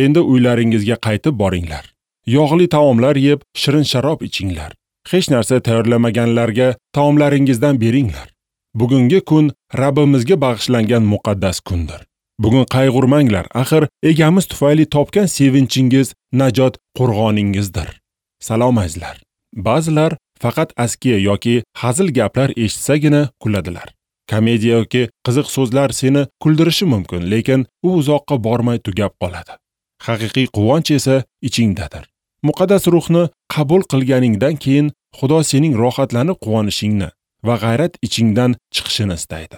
Endi uylaringizga qaytib boringlar. Yog'li taomlar yeb, shirin sharob ichinglar. Hech narsa tayyorlamaganlarga taomlaringizdan beringlar. Bugungi kun Rabbimizga bag'ishlangan muqaddas kundir. Bugun qayg'urmanglar, axir egamiz tufayli topgan sevinchingiz najot qo'rg'oningizdir. Salom azizlar. Ba'zilar faqat askiya yoki hazil gaplar eshitsagina kuladilar. Komediya yoki qiziq so'zlar seni kuldirishi mumkin, lekin u uzoqqa bormay tugab qoladi. Haqiqiy quvonch esa ichingdadir. Muqaddas ruhni qabul qilganingdan keyin Xudo sening rohatlanib quvonishingni va g'ayrat ichingdan chiqishini istaydi.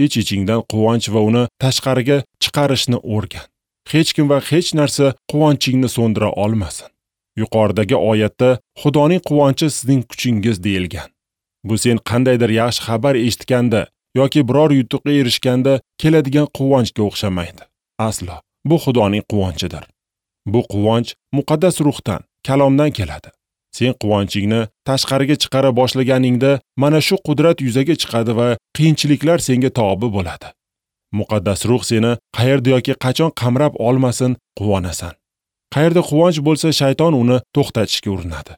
Ich-ichingdan quvonch va uni tashqariga chiqarishni o'rgan. Hech kim va hech narsa quvonchingni so'ndira olmasin. Yuqoridagi oyatda Xudoning quvonchi sizning kuchingiz deyilgan. Bu sen qandaydir yaxshi xabar eshitganda yoki biror yutuqqa erishganda keladigan quvonchga o'xshamaydi. Aslo, bu Xudoning quvonchidir. Bu quvonch muqaddas ruhdan, kalomdan keladi. Sen quvonchingni tashqariga chiqara boshlaganingda mana shu qudrat yuzaga chiqadi va qiyinchiliklar senga tobi bo'ladi. Muqaddas ruh seni qayerda yoki qachon qamrab olmasin, quvonasan. Qayerda quvonch bo'lsa, shayton uni to'xtatishga urinadi.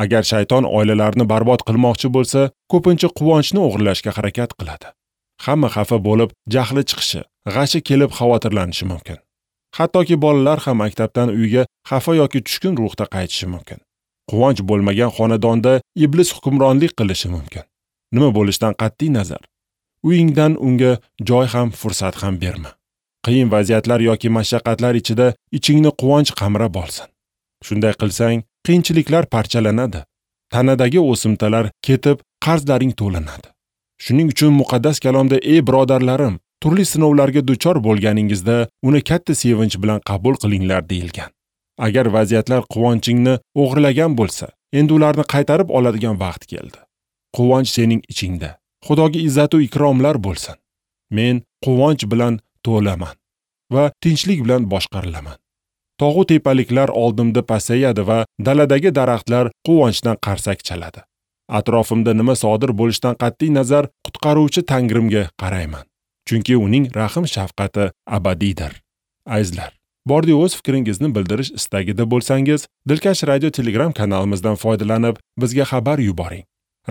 Agar shayton oilalarni barbod qilmoqchi bo'lsa, ko'pincha quvonchni o'g'irlashga harakat qiladi. Hamma xafa bo'lib, jahli chiqishi, g'ashi kelib xavotirlanishi mumkin. Hattoki bolalar ham maktabdan uyga xafa yoki tushkun ruhda qaytishi mumkin. Quvonch bo'lmagan xonadonda iblis hukmronlik qilishi mumkin. Nima bo'lishidan qat'iy nazar, uyingdan unga joy ham, fursat ham berma. Qiyin vaziyatlar yoki mashaqqatlar ichida ichingni quvonch qamrab olsin. Shunday qilsang, qiyinchiliklar parchalanadi. Tanadagi o'simtalar ketib, qarzlaring to'lanadi. Shuning uchun muqaddas kalomda: "Ey birodarlarim, turli sinovlarga duchor bo'lganingizda uni katta sevinch bilan qabul qilinglar" deyilgan. Agar vaziyatlar quvonchingni o'g'irlagan bo'lsa, endi ularni qaytarib oladigan vaqt keldi. Quvonch sening ichingda. Xudoga izzat va ikromlar bo'lsin. Men quvonch bilan to'laman va tinchlik bilan boshqarilaman. Tog'u tepaliklar oldimda pasayadi va daladagi daraxtlar quvonchdan qarsak chaladi. Atrofimda nima sodir bo'lishidan qat'iy nazar qutqaruvchi Tangrimga qarayman. Chunki uning rahim shafqati abadiydir. Azizlar, bordi o'z fikringizni bildirish istagida bo'lsangiz, Dilkash Radio Telegram kanalimizdan foydalanib, bizga xabar yuboring.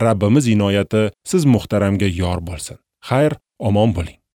Rabbimiz inoyati siz muhtaramga yor bo'lsin. Xayr, omon bo'ling.